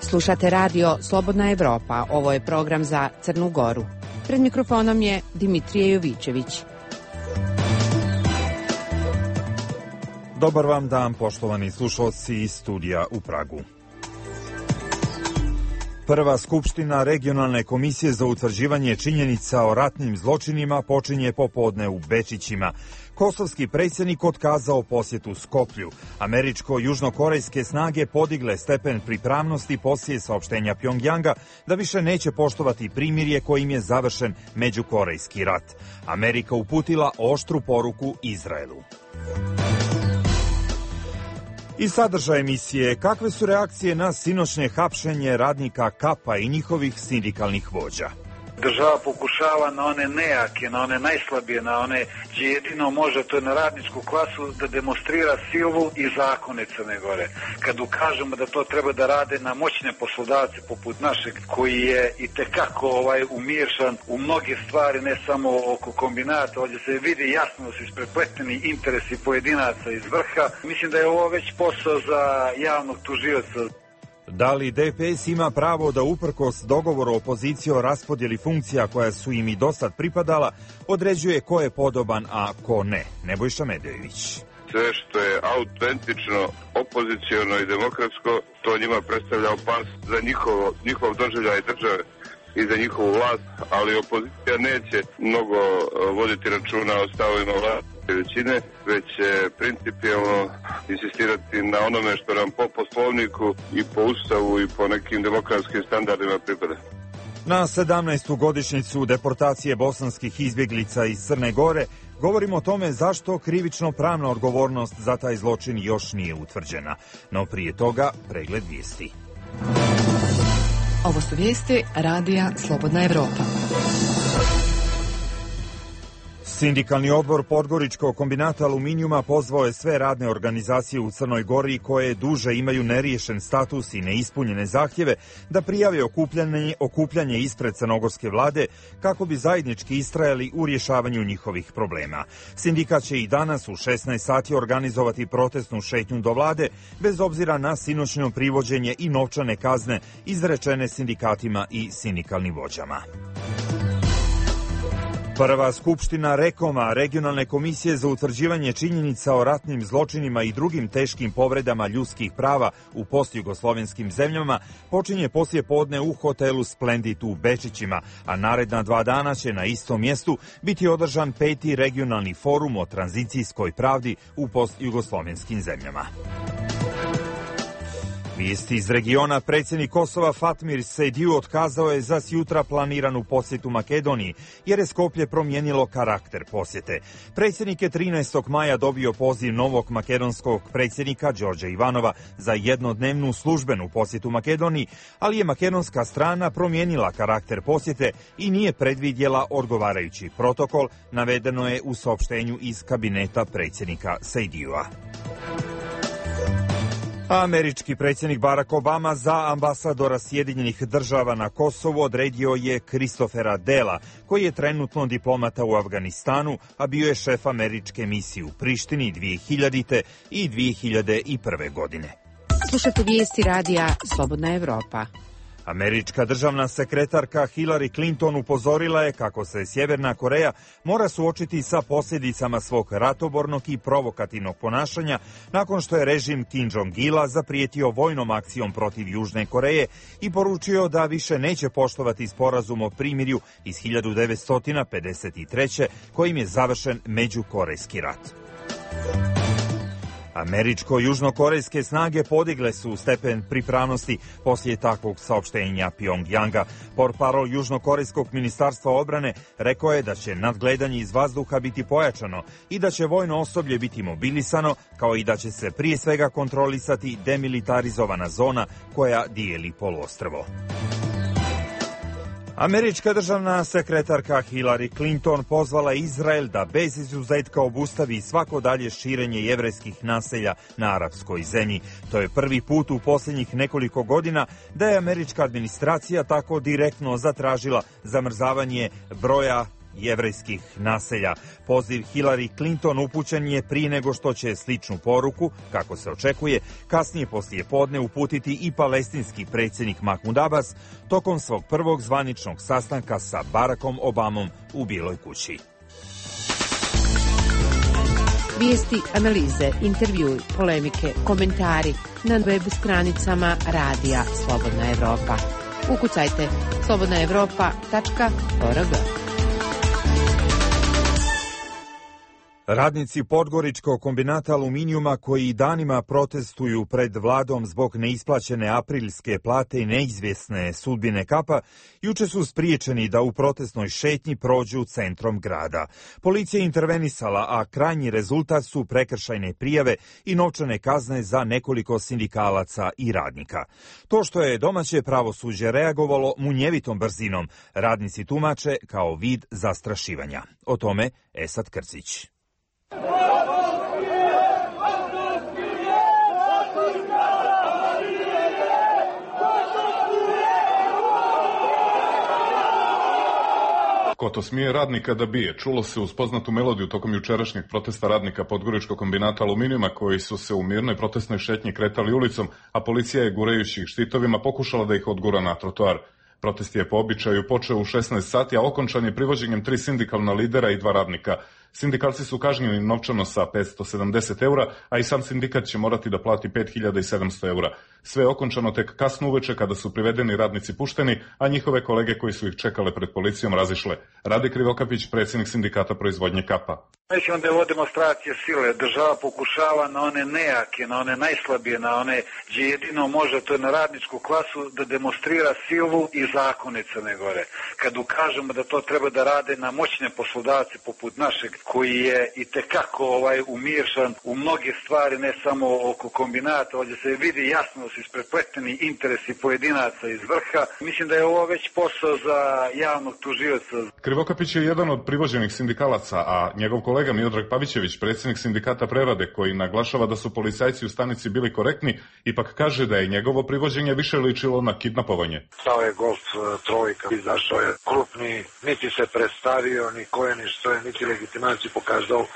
Slušate radio Slobodna Evropa. Ovo je program za Crnu Goru. Pred mikrofonom je Dimitrije Jovićević. Dobar vam dan, poštovani slušalci iz studija u Pragu. Prva skupština Regionalne komisije za utvrđivanje činjenica o ratnim zločinima počinje popodne u Bečićima. Kosovski predsjednik otkazao posjetu Skoplju. Američko-južnokorejske snage podigle stepen pripravnosti poslije saopštenja Pjongjanga da više neće poštovati primirje kojim je završen međukorejski rat. Amerika uputila oštru poruku Izraelu. I sadržaj emisije, kakve su reakcije na sinoćnje hapšenje radnika Kapa i njihovih sindikalnih vođa? Država pokušava na one nejake, na one najslabije, na one gdje jedino može, to je na radničku klasu, da demonstrira silu i zakone Crne Gore. Kad ukažemo da to treba da rade na moćne poslodavce poput našeg, koji je itekako umiješan u mnoge stvari, ne samo oko kombinata, ovdje se vidi jasno da su isprepleteni interesi pojedinaca iz vrha. Mislim da je ovo već posao za javnog tužioca. Da li DPS ima pravo da uprkos dogovoru opozicije o raspodjeli funkcija koja su im i dosad pripadala, određuje ko je podoban, a ko ne? Nebojša Medejević. Sve što je autentično, opoziciono i demokratsko, to njima predstavlja opasnost za njihov doživljaj države i za njihovu vlast, ali opozicija neće mnogo voditi računa o stavovima vlasti većine, već će principijelno insistirati na onome što nam po poslovniku i po ustavu i po nekim demokratskim standardima pripada. Na 17. godišnjicu deportacije bosanskih izbjeglica iz Crne Gore govorimo o tome zašto krivično pravna odgovornost za taj zločin još nije utvrđena. No prije toga pregled vijesti. Ovo su vijesti radija Slobodna Evropa. Sindikalni odbor Podgoričkog kombinata aluminijuma pozvao je sve radne organizacije u Crnoj Gori koje duže imaju neriješen status i neispunjene zahtjeve da prijave okupljanje ispred crnogorske vlade kako bi zajednički istrajali u rješavanju njihovih problema. Sindikat će i danas u 16 sati organizovati protestnu šetnju do vlade bez obzira na sinoćno privođenje i novčane kazne izrečene sindikatima i sindikalnim vođama. Prva skupština REKOM-a, Regionalne komisije za utvrđivanje činjenica o ratnim zločinima i drugim teškim povredama ljudskih prava u postjugoslovenskim zemljama, počinje poslije podne u hotelu Splendid u Bečićima, a naredna 2 dana će na istom mjestu biti održan 5. regionalni forum o tranzicijskoj pravdi u postjugoslovenskim zemljama. Vijesti iz regiona. Predsjednik Kosova Fatmir Sejdiu otkazao je za sjutra planiranu posjetu Makedoniji, jer je Skoplje promijenilo karakter posjete. Predsjednik je 13. maja dobio poziv novog makedonskog predsjednika Đorđa Ivanova za jednodnevnu službenu posjetu Makedoniji, ali je makedonska strana promijenila karakter posjete i nije predvidjela odgovarajući protokol, navedeno je u saopštenju iz kabineta predsjednika Sejdiua. Američki predsjednik Barack Obama za ambasadora Sjedinjenih država na Kosovu odredio je Christophera Dela, koji je trenutno diplomata u Afganistanu, a bio je šef američke misije u Prištini 2000. i 2001. godine. Slušate vijesti radija Slobodna Evropa. Američka državna sekretarka Hillary Clinton upozorila je kako se Sjeverna Koreja mora suočiti sa posljedicama svog ratobornog i provokativnog ponašanja nakon što je režim Kim Jong-ila zaprijetio vojnom akcijom protiv Južne Koreje i poručio da više neće poštovati sporazum o primirju iz 1953. kojim je završen međukorejski rat. Američko-južnokorejske snage podigle su stepen pripravnosti poslije takvog saopštenja Pjongjanga. Portparol Južnokorejskog ministarstva obrane rekao je da će nadgledanje iz vazduha biti pojačano i da će vojno osoblje biti mobilisano, kao i da će se prije svega kontrolisati demilitarizovana zona koja dijeli poluostrvo. Američka državna sekretarka Hillary Clinton pozvala Izrael da bez izuzetka obustavi svako dalje širenje jevrejskih naselja na arapskoj zemlji. To je prvi put u posljednjih nekoliko godina da je američka administracija tako direktno zatražila zamrzavanje broja jevrejskih naselja. Poziv Hillary Clinton upućen je prije nego što će sličnu poruku, kako se očekuje, kasnije poslije podne uputiti i palestinski predsjednik Mahmud Abbas tokom svog prvog zvaničnog sastanka sa Barackom Obamom u Bijeloj kući. Vijesti, analize, intervjui, polemike, komentari na web stranicama Radija Slobodna Evropa. Ukucajte slobodnaevropa.org. Radnici Podgoričkog kombinata aluminijuma koji danima protestuju pred vladom zbog neisplaćene aprilske plate i neizvjesne sudbine Kapa, juče su spriječeni da u protestnoj šetnji prođu centrom grada. Policija je intervenisala, a krajnji rezultat su prekršajne prijave i novčane kazne za nekoliko sindikalaca i radnika. To što je domaće pravosuđe reagovalo munjevitom brzinom, radnici tumače kao vid zastrašivanja. O tome Esad Krcić. Ko to smije radnika da bije, čulo se uz poznatu melodiju tokom jučerašnjeg protesta radnika Podgoričkog kombinata aluminijuma koji su se u mirnoj protestnoj šetnji kretali ulicom, a policija je gurajući ih štitovima pokušala da ih odgura na trotoar. Protest je po običaju počeo u 16 sati, a okončan je privođenjem 3 sindikalna lidera i 2 radnika. Sindikalci su kažnjeni novčano sa 570 eura, a i sam sindikat će morati da plati 5700 eura. Sve je okončano tek kasno uveče kada su privedeni radnici pušteni, a njihove kolege koji su ih čekale pred policijom razišle. Rade Krivokapić, predsjednik sindikata proizvodnje Kapa. Nećemo da je ovo demonstracije sile. Država pokušava na one nejake, na one najslabije, na one gdje jedino može, to je na radničku klasu, da demonstrira silu i zakone Crne Gore. Kad ukažemo da to treba da rade na moćne poslodavce poput našeg, koji je i tekako umiješan u mnoge stvari, ne samo oko kombinata, ovdje se vidi jasno da su isprepleteni interesi pojedinaca iz vrha. Mislim da je ovo već posao za javnog tužioca. Krivokapić je jedan od privođenih sindikalaca, a njegov kolega Miodrag Pavićević, predsjednik sindikata Prerade, koji naglašava da su policajci u stanici bili korektni, ipak kaže da je njegovo privođenje više ličilo na kidnapovanje. Stao je Golf trojka, izašao je krupni, niti se predstavio, ni ko je, ni što je, niti legitimaciju pokazao,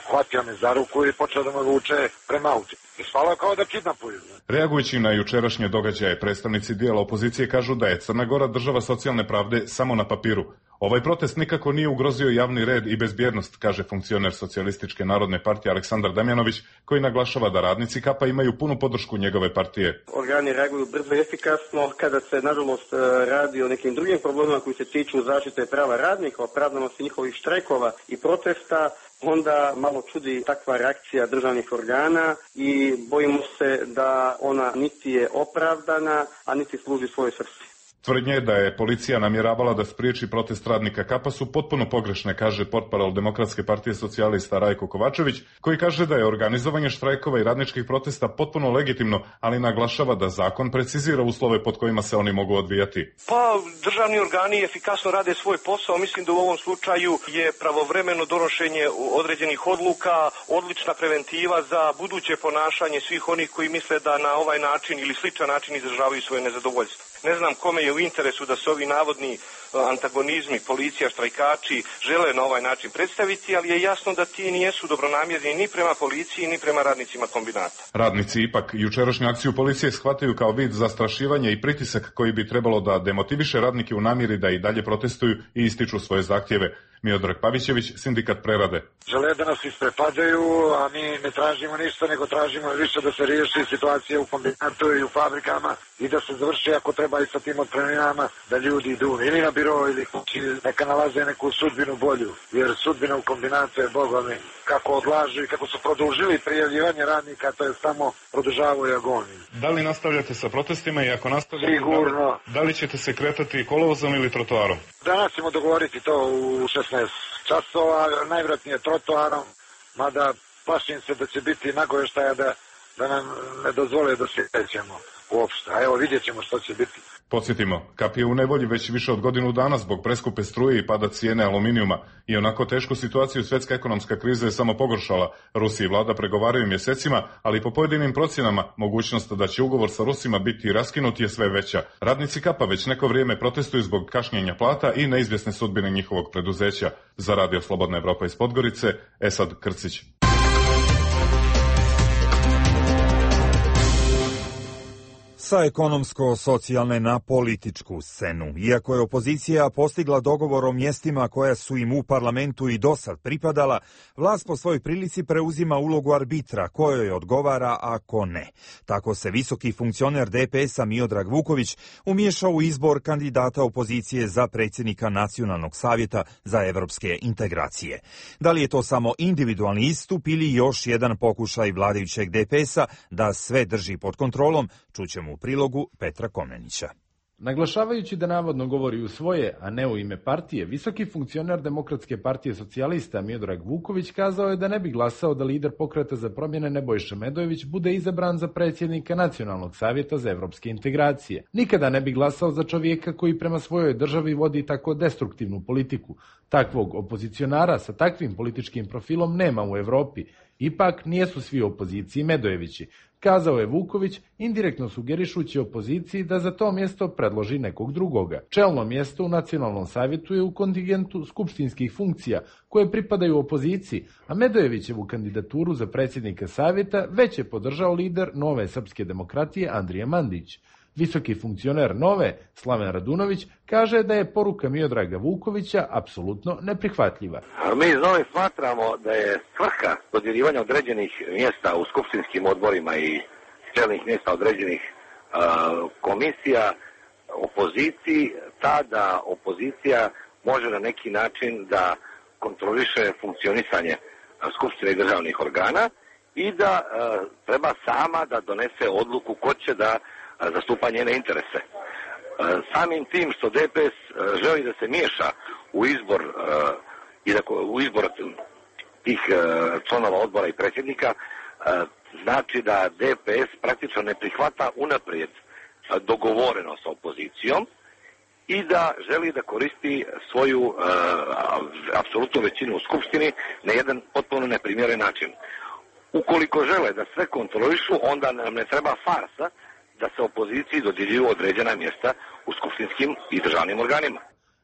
hvatio me za ruku i počeo da me vuče prema autu. Ispalo kao da kidnapuju. Reagujući na jučerašnje događaje, predstavnici dijela opozicije kažu da je Crna Gora država socijalne pravde samo na papiru. Ovaj protest nikako nije ugrozio javni red i bezbjednost, kaže funkcioner Socijalističke narodne partije Aleksandar Damjanović, koji naglašava da radnici Kapa imaju punu podršku njegove partije. Organi reaguju brzo i efikasno kada se, nažalost, radi o nekim drugim problemima koji se tiču zaštite prava radnika, opravdanosti njihovih štrajkova i protesta. Onda malo čudi takva reakcija državnih organa i bojimo se da ona niti je opravdana, a niti služi svojoj svrsi. Tvrdnje da je policija namjeravala da spriječi protest radnika Kapa su potpuno pogrešne, kaže portparol Demokratske partije socijalista Rajko Kovačević, koji kaže da je organizovanje štrajkova i radničkih protesta potpuno legitimno, ali naglašava da zakon precizira uslove pod kojima se oni mogu odvijati. Pa državni organi efikasno rade svoj posao, mislim da u ovom slučaju je pravovremeno donošenje određenih odluka odlična preventiva za buduće ponašanje svih onih koji misle da na ovaj način ili sličan način izražavaju svoje nezadovoljstvo. Ne znam kome je u interesu da se ovi navodni antagonizmi, policija, štrajkači žele na ovaj način predstaviti, ali je jasno da ti nijesu dobronamjerni ni prema policiji, ni prema radnicima kombinata. Radnici ipak jučerašnju akciju policije shvataju kao vid zastrašivanja i pritisak koji bi trebalo da demotiviše radnike u namjeri da i dalje protestuju i ističu svoje zahtjeve. Miodrag Pavićević, sindikat Prerade. Žele da nas isprepadaju, a mi ne tražimo ništa, nego tražimo više da se riješi situacija u kombinatu i u fabrikama i da se završi ako treba i sa tim otpremninama, da ljudi idu ili na biro ili kući, neka nalaze neku sudbinu bolju, jer sudbina u kombinatu je bogami kako odlažu i kako su produžili prijavljivanje radnika, to je samo produžavaju agoniju. Da li nastavljate sa protestima i ako nastavljate, sigurno. Da li ćete se kretati kolovozom ili trotoarom? Danas ćemo dogovoriti to u 16 časova, najvjerojatnije trotoarom, mada plašim se da će biti nagovještaja da nam ne dozvole da se krećemo uopšte. A evo vidjet ćemo što će biti. Podsjetimo, Kap je u nevolji već više od godinu dana zbog preskupe struje i pada cijene aluminijuma i onako tešku situaciju svjetska ekonomska kriza je samo pogoršala. Rusi i vlada pregovaraju mjesecima, ali po pojedinim procjenama mogućnost da će ugovor sa Rusima biti raskinut je sve veća. Radnici Kapa već neko vrijeme protestuju zbog kašnjenja plata i neizvjesne sudbine njihovog preduzeća. Za Radio Slobodna Evropa iz Podgorice, Esad Krcić. Sa ekonomsko-socijalne na političku scenu. Iako je opozicija postigla dogovor o mjestima koja su im u parlamentu i dosad pripadala, vlast po svojoj prilici preuzima ulogu arbitra kojoj odgovara, a ko ne. Tako se visoki funkcioner DPS-a Miodrag Vuković umiješao u izbor kandidata opozicije za predsjednika Nacionalnog savjeta za evropske integracije. Da li je to samo individualni istup ili još jedan pokušaj vladajućeg DPS-a da sve drži pod kontrolom, čućemo u prilogu Petra Komnenića. Naglašavajući da navodno govori u svoje, a ne u ime partije, visoki funkcioner Demokratske partije socijalista Miodrag Vuković kazao je da ne bi glasao da lider Pokreta za promjene Nebojša Medojević bude izabran za predsjednika Nacionalnog savjeta za evropske integracije. Nikada ne bi glasao za čovjeka koji prema svojoj državi vodi tako destruktivnu politiku. Takvog opozicionara sa takvim političkim profilom nema u Evropi. Ipak nijesu svi u opoziciji Medojevići, kazao je Vuković, indirektno sugerišući opoziciji da za to mjesto predloži nekog drugoga. Čelno mjesto u Nacionalnom savjetu je u kontingentu skupštinskih funkcija koje pripadaju opoziciji, a Medojevićevu kandidaturu za predsjednika savjeta već je podržao lider Nove srpske demokratije Andrija Mandić. Visoki funkcioner Nove, Slaven Radunović, kaže da je poruka Miodraga Vukovića apsolutno neprihvatljiva. Mi iz Nove smatramo da je svrha dodjeljivanja određenih mjesta u skupštinskim odborima i čelnih mjesta određenih komisija opoziciji ta da opozicija može na neki način da kontroliše funkcionisanje skupštine i državnih organa i da treba sama da donese odluku ko će da zastupa njene interese. Samim tim što DPS želi da se miješa u izbor tih članova odbora i predsjednika, znači da DPS praktično ne prihvata unaprijed dogovoreno sa opozicijom i da želi da koristi svoju apsolutnu većinu u skupštini na jedan potpuno neprimjeren način. Ukoliko žele da sve kontrolišu, onda nam ne treba farsa da se opoziciji dodjeljuju određena mjesta u skupštinskim i državnim organima.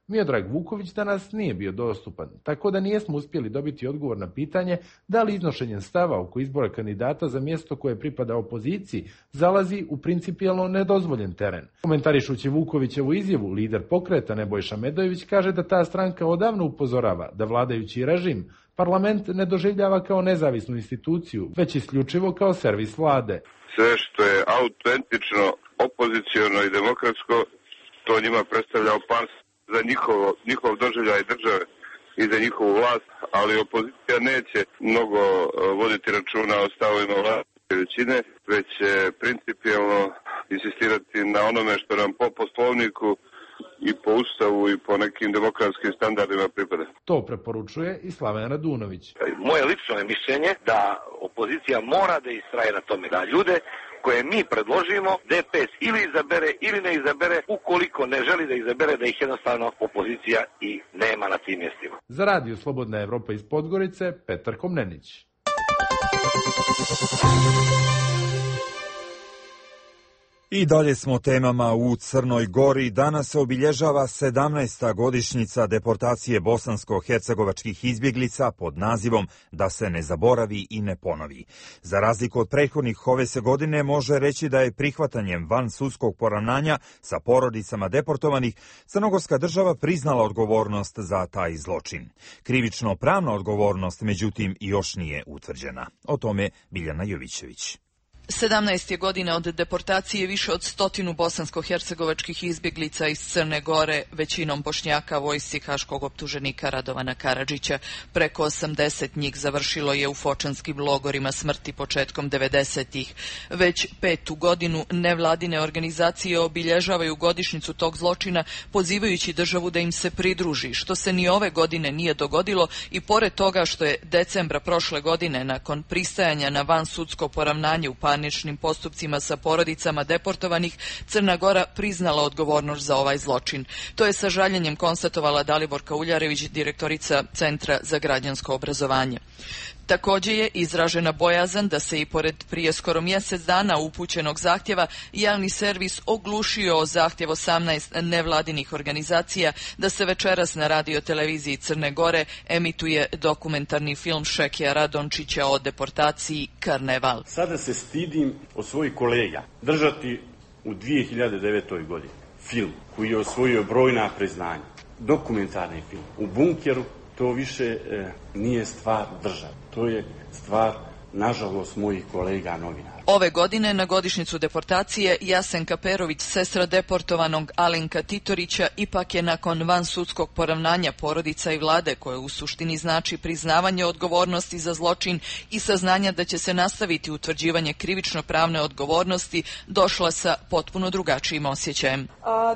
Miodrag Vuković danas nije bio dostupan, tako da nijesmo uspjeli dobiti odgovor na pitanje da li iznošenjem stava oko izbora kandidata za mjesto koje pripada opoziciji zalazi u principijelno nedozvoljen teren. Komentarišući Vukovićevu izjavu, lider Pokreta Nebojša Medojević kaže da ta stranka odavno upozorava da vladajući režim parlament ne doživljava kao nezavisnu instituciju, već isključivo kao servis vlade. Sve što je autentično, opoziciono i demokratsko, to njima predstavlja opasnost za njihov doživljaj države i za njihovu vlast, ali opozicija neće mnogo voditi računa o stavovima vladajuće većine, već će principijelno insistirati na onome što nam po poslovniku i po ustavu i po nekim demokratskim standardima pripada. To preporučuje i Slaven Radunović. Moje lično je mišljenje da opozicija mora da istraje na tome da ljude koje mi predložimo DPS ili izabere ili ne izabere, ukoliko ne želi da izabere, da ih jednostavno opozicija i nema na tim mjestima. Za Radio Slobodna Evropa iz Podgorice, Petar Komnenić. I dalje smo temama u Crnoj Gori. Danas se obilježava 17. godišnjica deportacije bosansko-hercegovačkih izbjeglica pod nazivom Da se ne zaboravi i ne ponovi. Za razliku od prethodnih, ove se godine može reći da je prihvatanjem van sudskog poravnanja sa porodicama deportovanih crnogorska država priznala odgovornost za taj zločin. Krivično pravna odgovornost, međutim, još nije utvrđena. O tome Biljana Jovićević. 17 je godina od deportacije više od 100 bosansko-hercegovačkih izbjeglica iz Crne Gore, većinom Bošnjaka, vojsci haškog optuženika Radovana Karadžića. Preko 80 njih završilo je u fočanskim logorima smrti početkom 90-ih. Već 5. godinu nevladine organizacije obilježavaju godišnjicu tog zločina, pozivajući državu da im se pridruži, što se ni ove godine nije dogodilo i pored toga što je decembra prošle godine, nakon pristajanja na vansudsko poravnanje u parničnim postupcima sa porodicama deportovanih, Crna Gora priznala odgovornost za ovaj zločin. To je sa žaljenjem konstatovala Daliborka Uljarević, direktorica Centra za građansko obrazovanje. Također je izražena bojazan da se i pored prije skoro mjesec dana upućenog zahtjeva javni servis oglušio o zahtjev 18 nevladinih organizacija da se večeras na radioteleviziji Crne Gore emituje dokumentarni film Šekija Radončića o deportaciji Karneval. Sada se stidim od svojih kolega držati u 2009. godini film koji je osvojio brojna priznanja, dokumentarni film u bunkeru. To više nije stvar države, to je stvar, nažalost, mojih kolega novinara. Ove godine na godišnjicu deportacije Jasenka Perović, sestra deportovanog Alenka Titorića, ipak je nakon vansudskog poravnanja porodica i vlade, koje u suštini znači priznavanje odgovornosti za zločin i saznanja da će se nastaviti utvrđivanje krivično-pravne odgovornosti, došla sa potpuno drugačijim osjećajem.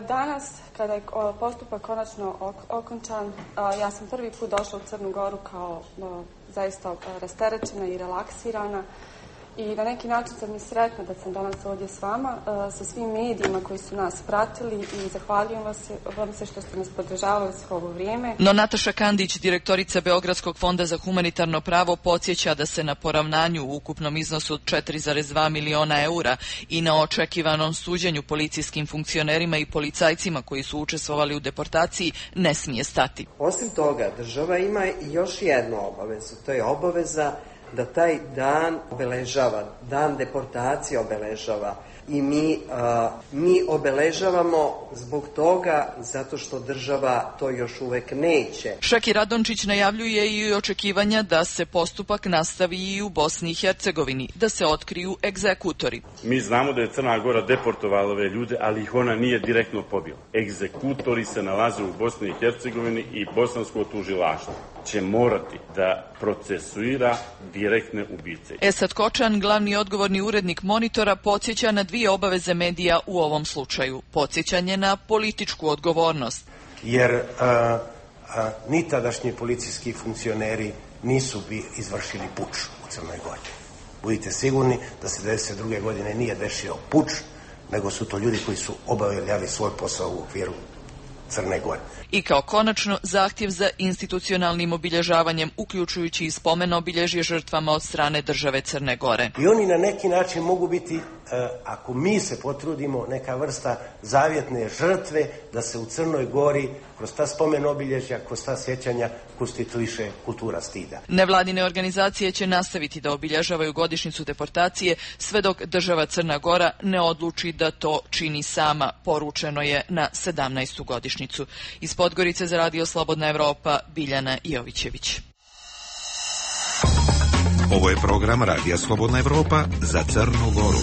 Danas, kada je postupak konačno okončan, ja sam prvi put došla u Crnu Goru kao zaista rasterećena i relaksirana. I na neki način sam i sretna da sam danas ovdje s vama, sa svim medijima koji su nas pratili i zahvaljujem vam se što ste nas podržavali svo ovo vrijeme. No Nataša Kandić, direktorica Beogradskog fonda za humanitarno pravo, podsjeća da se na poravnanju u ukupnom iznosu od 4,2 miliona eura i na očekivanom suđenju policijskim funkcionerima i policajcima koji su učestvovali u deportaciji ne smije stati. Osim toga, država ima i još jednu obavezu, to je obaveza da taj dan obeležava, dan deportacije obeležava i mi obeležavamo zbog toga zato što država to još uvek neće. Šeki Radončić najavljuje i očekivanja da se postupak nastavi i u Bosni i Hercegovini, da se otkriju egzekutori. Mi znamo da je Crna Gora deportovala ove ljude, ali ih ona nije direktno pobila. Egzekutori se nalaze u Bosni i Hercegovini i bosansko tužilaštvo će morati da procesuira direktne ubice. Esad Kočan, glavni odgovorni urednik Monitora, podsjeća na dvije obaveze medija u ovom slučaju. Podsjećanje na političku odgovornost. Jer ni tadašnji policijski funkcioneri nisu izvršili puč u Crnoj Gori. Budite sigurni da se 1992. godine nije desio puč, nego su to ljudi koji su obavljali svoj posao u okviru Crne Gore. I kao konačno, zahtjev za institucionalnim obilježavanjem, uključujući i spomen obilježje žrtvama od strane države Crne Gore. I oni na neki način mogu biti, ako mi se potrudimo, neka vrsta zavjetne žrtve da se u Crnoj Gori kroz ta spomen obilježja, kroz ta sjećanja konstituiše kultura stida. Nevladine organizacije će nastaviti da obilježavaju godišnjicu deportacije sve dok država Crna Gora ne odluči da to čini sama, poručeno je na 17. godišnjicu. Iz Podgorice za Radio Slobodna Evropa, Biljana Jovićević. Ovo je program Radija Slobodna Evropa za Crnu Goru.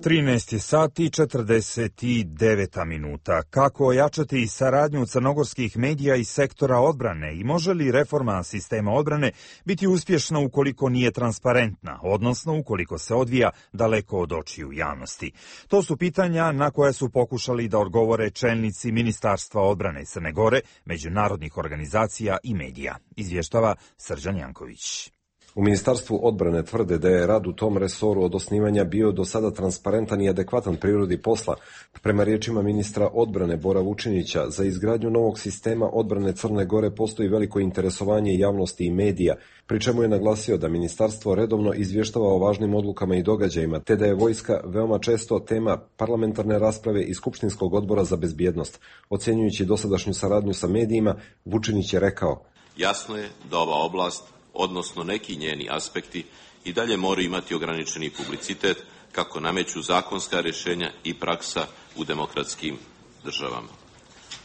13 sati 49 minuta. Kako ojačati saradnju crnogorskih medija i sektora odbrane i može li reforma sistema odbrane biti uspješna ukoliko nije transparentna, odnosno ukoliko se odvija daleko od očiju javnosti? To su pitanja na koje su pokušali da odgovore čelnici Ministarstva odbrane Crne Gore, međunarodnih organizacija i medija. Izvještava Srđan Janković. U Ministarstvu odbrane tvrde da je rad u tom resoru od osnivanja bio do sada transparentan i adekvatan prirodi posla. Prema riječima ministra odbrane Bora Vučinića, za izgradnju novog sistema odbrane Crne Gore postoji veliko interesovanje javnosti i medija, pri čemu je naglasio da ministarstvo redovno izvještava o važnim odlukama i događajima, te da je vojska veoma često tema parlamentarne rasprave i Skupštinskog odbora za bezbjednost. Ocjenjujući dosadašnju saradnju sa medijima, Vučinić je rekao: Jasno je da ova oblast, odnosno neki njeni aspekti, i dalje moraju imati ograničeni publicitet kako nameću zakonska rješenja i praksa u demokratskim državama.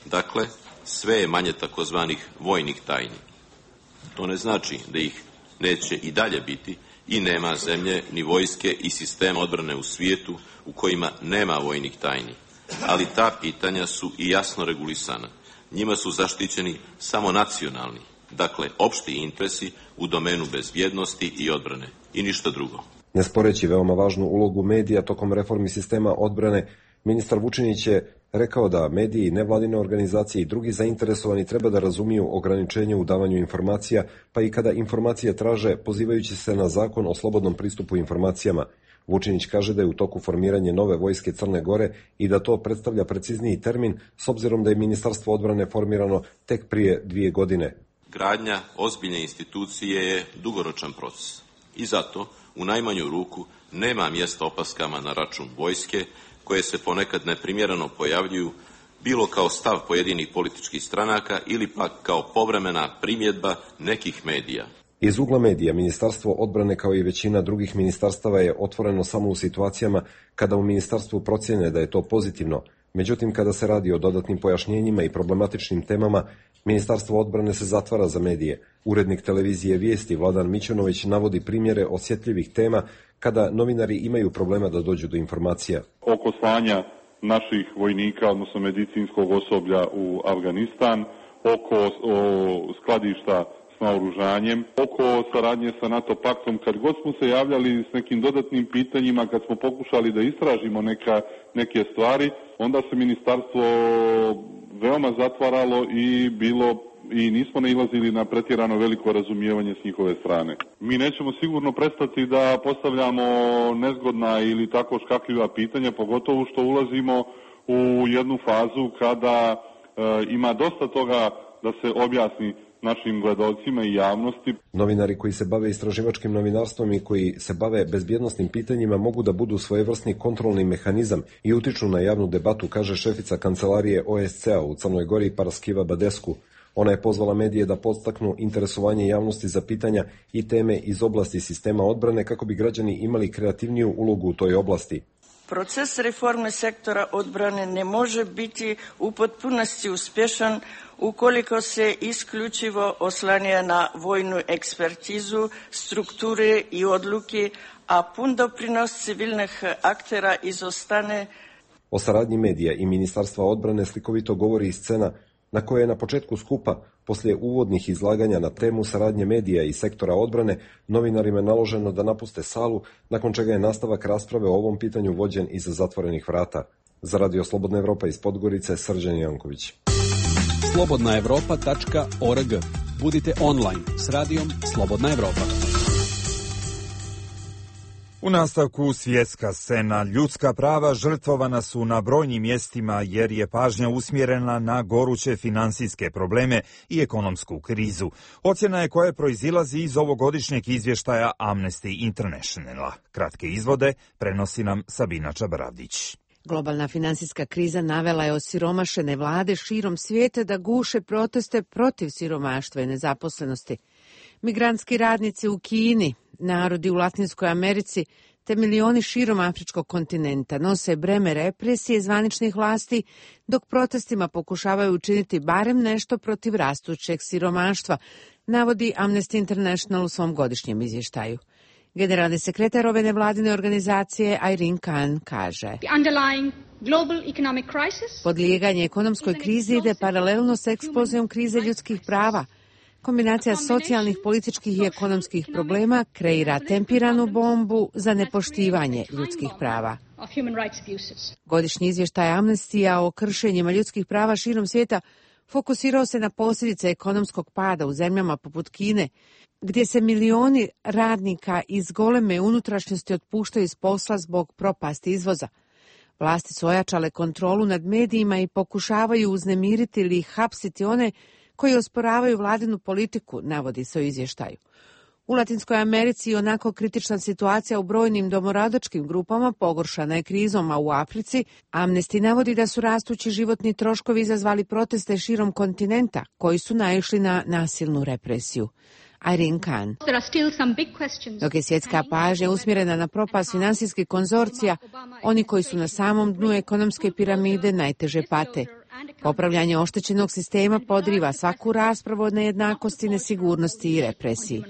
Dakle, sve je manje takozvanih vojnih tajni. To ne znači da ih neće i dalje biti i nema zemlje ni vojske i sistema odbrane u svijetu u kojima nema vojnih tajni. Ali ta pitanja su i jasno regulisana. Njima su zaštićeni samo nacionalni, dakle opšti interesi u domenu bezbjednosti i odbrane i ništa drugo. Ne sporeći veoma važnu ulogu medija tokom reformi sistema odbrane, Ministar Vučinić je rekao da mediji, nevladine organizacije i drugi zainteresovani treba da razumiju ograničenje u davanju informacija, pa i kada informacije traže pozivajući se na zakon o slobodnom pristupu informacijama. Vučinić kaže da je u toku formiranje nove vojske Crne Gore i da to predstavlja precizniji termin s obzirom da je Ministarstvo odbrane formirano tek prije 2 godine. Gradnja ozbiljne institucije je dugoročan proces i zato u najmanju ruku nema mjesta opaskama na račun vojske koje se ponekad neprimjereno pojavljuju bilo kao stav pojedinih političkih stranaka ili pak kao povremena primjedba nekih medija. Iz ugla medija, Ministarstvo odbrane kao i većina drugih ministarstava je otvoreno samo u situacijama kada u ministarstvu procjene da je to pozitivno. Međutim, kada se radi o dodatnim pojašnjenjima i problematičnim temama, Ministarstvo odbrane se zatvara za medije. Urednik televizije Vijesti Vladan Mićunović navodi primjere osjetljivih tema kada novinari imaju problema da dođu do informacija. Oko slanja naših vojnika, odnosno medicinskog osoblja u Afganistan, oko skladišta s naoružanjem, oko saradnje sa NATO paktom, kad god smo se javljali s nekim dodatnim pitanjima, kad smo pokušali da istražimo neke stvari, onda se ministarstvo veoma zatvaralo i nismo nailazili na pretjerano veliko razumijevanje s njihove strane. Mi nećemo sigurno prestati da postavljamo nezgodna ili tako škakljiva pitanja, pogotovo što ulazimo u jednu fazu kada ima dosta toga da se objasni našim gledalcima i javnosti. Novinari koji se bave istraživačkim novinarstvom i koji se bave bezbjednosnim pitanjima mogu da budu svojevrsni kontrolni mehanizam i utiču na javnu debatu, kaže šefica kancelarije OSCE-a u Crnoj Gori Paraskiva Badescu. Ona je pozvala medije da podstaknu interesovanje javnosti za pitanja i teme iz oblasti sistema odbrane kako bi građani imali kreativniju ulogu u toj oblasti. Proces reforme sektora odbrane ne može biti u potpunosti uspješan ukoliko se isključivo oslanja na vojnu ekspertizu, strukture i odluke, a pun doprinos civilnih aktera izostane. O saradnji medija i Ministarstva odbrane slikovito govori i scena na kojoj je na početku skupa, poslije uvodnih izlaganja na temu saradnje medija i sektora odbrane, novinarima naloženo da napuste salu, nakon čega je nastavak rasprave o ovom pitanju vođen iza zatvorenih vrata. Za Radio Slobodna Evropa iz Podgorice, Srđan Janković. slobodnaevropa.org. Budite online s radijom Slobodna Evropa. U nastavku svjetska scena. Ljudska prava žrtvovana su na brojnim mjestima jer je pažnja usmjerena na goruće finansijske probleme i ekonomsku krizu. Ocjena je koja proizilazi iz ovogodišnjeg izvještaja Amnesty Internationala. Kratke izvode prenosi nam Sabina Čabaravdić. Globalna finansijska kriza navela je osiromašene vlade širom svijeta da guše proteste protiv siromaštva i nezaposlenosti. Migrantski radnici u Kini, narodi u Latinskoj Americi te milioni širom afričkog kontinenta nose breme represije zvaničnih vlasti, dok protestima pokušavaju učiniti barem nešto protiv rastućeg siromaštva, navodi Amnesty International u svom godišnjem izvještaju. Generalni sekretar ove nevladine organizacije Irene Khan kaže: podlijeganje ekonomskoj krizi ide paralelno s eksplozijom krize ljudskih prava. Kombinacija socijalnih, političkih i ekonomskih problema kreira tempiranu bombu za nepoštivanje ljudskih prava. Godišnji izvještaj Amnestija o kršenjima ljudskih prava širom svijeta fokusirao se na posljedice ekonomskog pada u zemljama poput Kine, gdje se milioni radnika iz goleme unutrašnjosti otpuštaju iz posla zbog propasti izvoza. Vlasti su ojačale kontrolu nad medijima i pokušavaju uznemiriti ili hapsiti one koji osporavaju vladinu politiku, navodi se u izvještaju. U Latinskoj Americi onako kritična situacija u brojnim domoradočkim grupama pogoršana je krizom, a u Africi Amnesty navodi da su rastući životni troškovi izazvali proteste širom kontinenta, koji su naišli na nasilnu represiju. Irene Khan. Dok je svjetska pažnja usmjerena na propast finansijskih konzorcija, oni koji su na samom dnu ekonomske piramide najteže pate. Popravljanje oštećenog sistema podriva svaku raspravu o nejednakosti, nesigurnosti i represiji.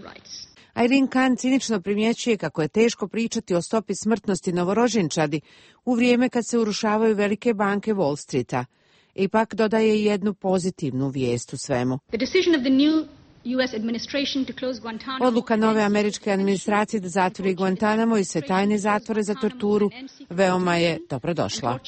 Irene Khan cinično primjećuje kako je teško pričati o stopi smrtnosti novorođenčadi u vrijeme kad se urušavaju velike banke Wall Streeta. Ipak dodaje jednu pozitivnu vijest u svemu. Odluka nove američke administracije da zatvori Guantanamo i sve tajne zatvore za torturu veoma je dobrodošla.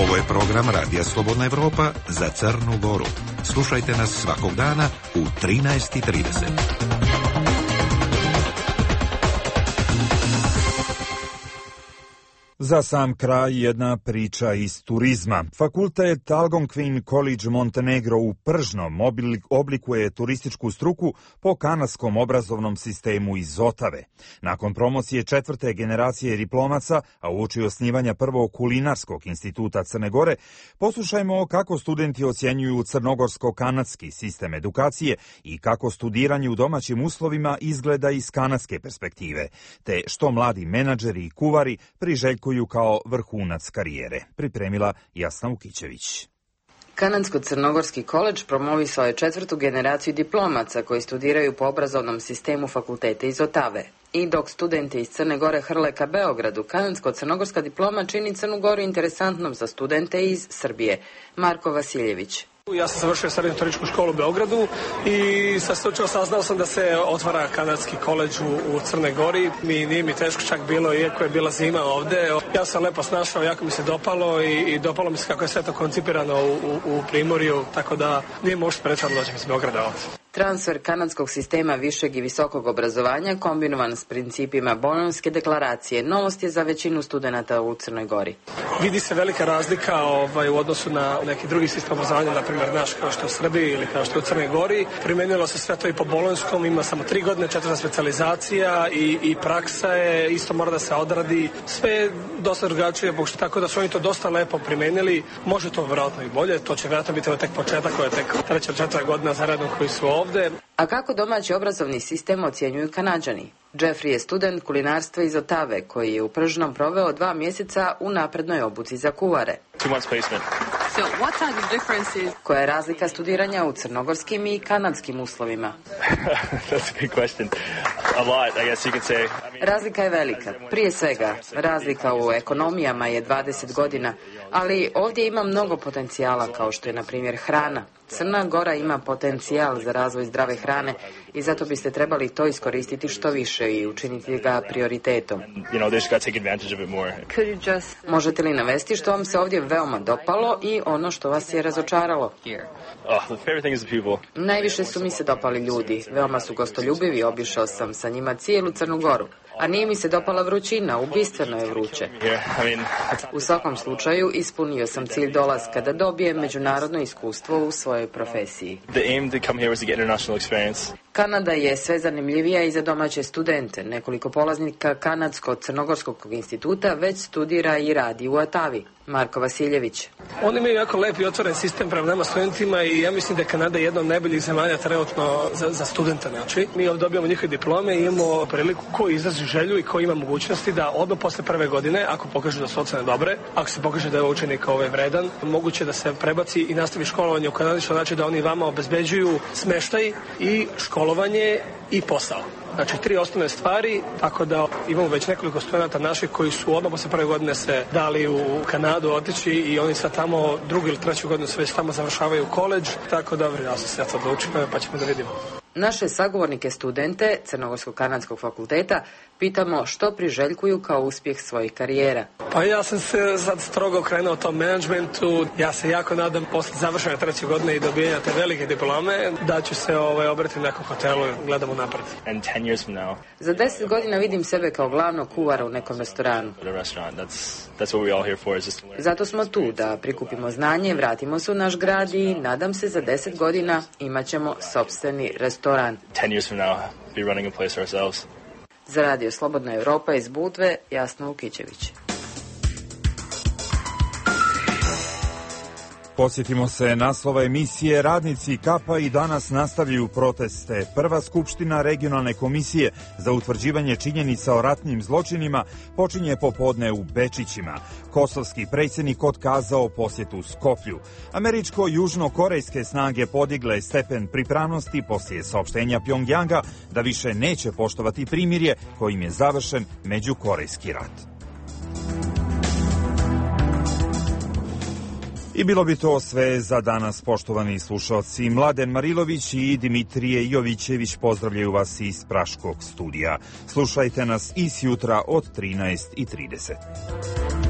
Ovo je program Radija Slobodna Evropa za Crnu Goru. Slušajte nas svakog dana u 13:30. Za sam kraj jedna priča iz turizma. Fakultet Algonquin College Montenegro u Pržnom oblikuje turističku struku po kanadskom obrazovnom sistemu iz Otave. Nakon promocije 4. generacije diplomaca, a uoči osnivanja prvog kulinarskog instituta Crne Gore, poslušajmo kako studenti ocjenjuju crnogorsko-kanadski sistem edukacije i kako studiranje u domaćim uslovima izgleda iz kanadske perspektive, te što mladi menadžeri i kuvari priželjkuju kao vrhunac karijere. Pripremila Jasna Ukićević. Kanadsko-crnogorski koledž promovisao je 4. generaciju diplomaca koji studiraju po obrazovnom sistemu fakulteta iz Otave. I dok studenti iz Crne Gore hrle ka Beogradu, kanadsko-crnogorska diploma čini Crnu Goru interesantnom za studente iz Srbije. Marko Vasiljević. Ja sam završio srednju turističku školu u Beogradu i slučajno saznao sam da se otvara kanadski koledž u Crnoj Gori. Nije mi teško čak bilo, iako je bila zima ovde. Ja sam lepo snašao, jako mi se dopalo i dopalo mi se kako je sve to koncipirano u Primorju, tako da nije možda sprečano doći iz Beograda ovde. Transfer kanadskog sistema višeg i visokog obrazovanja kombinovan s principima Bolonjske deklaracije novost je za većinu studenata u Crnoj Gori. Vidi se velika razlika u odnosu na neki drugi sistem obrazovanja, na primjer naš kao što je u Srbiji ili kao što je u Crnoj Gori. Primenilo se sve to i po Bolonjskom, ima samo 3 godine, 4 specijalizacija i praksa je, isto mora da se odradi. Sve je dosta drugačije, tako da su oni to dosta lepo primenili. Može to vjerojatno i bolje, to će vjerojatno biti tek početak, koja je tek 3. 4. godina zaredom koji su ovde. A kako domaći obrazovni sistem ocjenjuju Kanađani? Jeffrey je student kulinarstva iz Otave, koji je u Pržnom proveo 2 mjeseca u naprednoj obuci za kuvare. Koja je razlika studiranja u crnogorskim i kanadskim uslovima? Razlika je velika. Prije svega, razlika u ekonomijama je 20 godina, ali ovdje ima mnogo potencijala, kao što je, na primjer, hrana. Crna Gora ima potencijal za razvoj zdrave hrane i zato biste trebali to iskoristiti što više i učiniti ga prioritetom. Možete li navesti što vam se ovdje veoma dopalo i ono što vas je razočaralo? Najviše su mi se dopali ljudi. Veoma su gostoljubivi, obišao sam sa njima cijelu Crnu Goru. A nije mi se dopala vrućina, ubistveno je vruće. U svakom slučaju, ispunio sam cilj dolaska da dobijem međunarodno iskustvo u svojoj profesiji. Kanada je sve zanimljivija i za domaće studente. Nekoliko polaznika Kanadsko-crnogorskog instituta već studira i radi u Otavi. Marko Vasiljević. Oni imaju jako lep i otvoren sistem prema nama studentima i ja mislim da je Kanada jedna od najboljih zemalja trenutno za studenta. Znači, mi ovdje dobijamo njihove diplome i imamo priliku ko izrazi želju i ko ima mogućnosti da odmah posle prve godine, ako pokažu da su ocene dobre, ako se pokaže da je učenik vredan, moguće da se prebaci i nastavi školovanje u Kanadi, što znači da oni vama obezbeđuju smeštaj i školovanje i posao. Znači 3 osnovne stvari, tako da imamo već nekoliko studenta naših koji su odmah posle prve godine se dali u Kanadu otići i oni sad tamo 2. ili 3. godinu se već tamo završavaju koledž, tako da ja sam se sad odlučio pa ćemo da vidimo. Naše sagovornike studente Crnogorsko-kanadskog fakulteta pitamo što priželjkuju kao uspjeh svojih karijera. Pa ja sam se sad strogo okrenuo tom menadžmentu. Ja se jako nadam posle završene 3. godine i dobijanja te velike diplome da ću se obratiti u nekom hotelu i gledamo napred. Za 10 godina vidim sebe kao glavnog kuvara u nekom restoranu. Zato smo tu da prikupimo znanje, vratimo se u naš grad i nadam se za 10 godina imat ćemo sopstveni restoran. Za Radio Slobodna Evropa iz Budve, Jasna Ukićević. Posjetimo se naslova emisije. Radnici Kapa i danas nastavljaju proteste. Prva skupština regionalne komisije za utvrđivanje činjenica o ratnim zločinima počinje popodne u Bečićima. Kosovski predsjednik otkazao posjetu Skoplju. Američko-južno-korejske snage podigle stepen pripravnosti poslije saopštenja Pjongjanga da više neće poštovati primirje kojim je završen međukorejski rat. I bilo bi to sve za danas, poštovani slušalci. Mladen Marilović i Dimitrije Jovićević pozdravljaju vas iz Praškog studija. Slušajte nas i sjutra od 13:30.